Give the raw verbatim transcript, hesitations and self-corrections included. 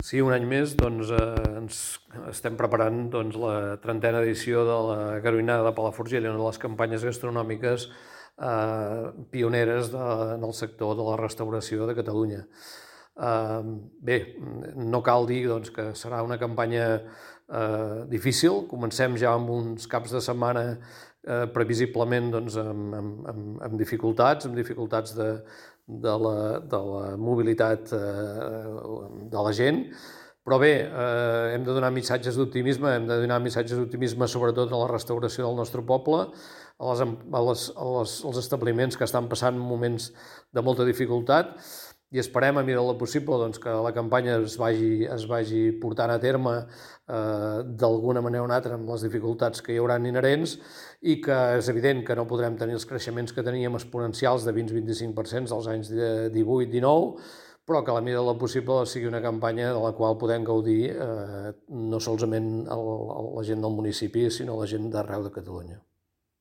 Sí, un any més doncs, eh, ens estem preparant doncs, la trentena edició de la Garoinada de Palafrugell, una de les campanyes gastronòmiques eh, pioneres de, en el sector de la restauració de Catalunya. Eh, bé, no cal dir doncs, que serà una campanya eh, difícil. Comencem ja amb uns caps de setmana eh, previsiblement doncs, amb, amb, amb, amb dificultats, amb dificultats de, de la, de la mobilitat eh, de la gent, però bé, eh, hem de donar missatges d'optimisme, hem de donar missatges d'optimisme sobretot a la restauració del nostre poble, a les, a les, a les, als establiments que estan passant moments de molta dificultat, i esperem, a mesura del possible, doncs, que la campanya es vagi, es vagi portant a terme eh, d'alguna manera o una altra amb les dificultats que hi haurà inherents, i que és evident que no podrem tenir els creixements que teníem exponencials de vint a vint-i-cinc per cent dels anys divuit dinou, però que a la mesura del possible sigui una campanya de la qual podem gaudir eh, no solament el, la gent del municipi, sinó la gent d'arreu de Catalunya.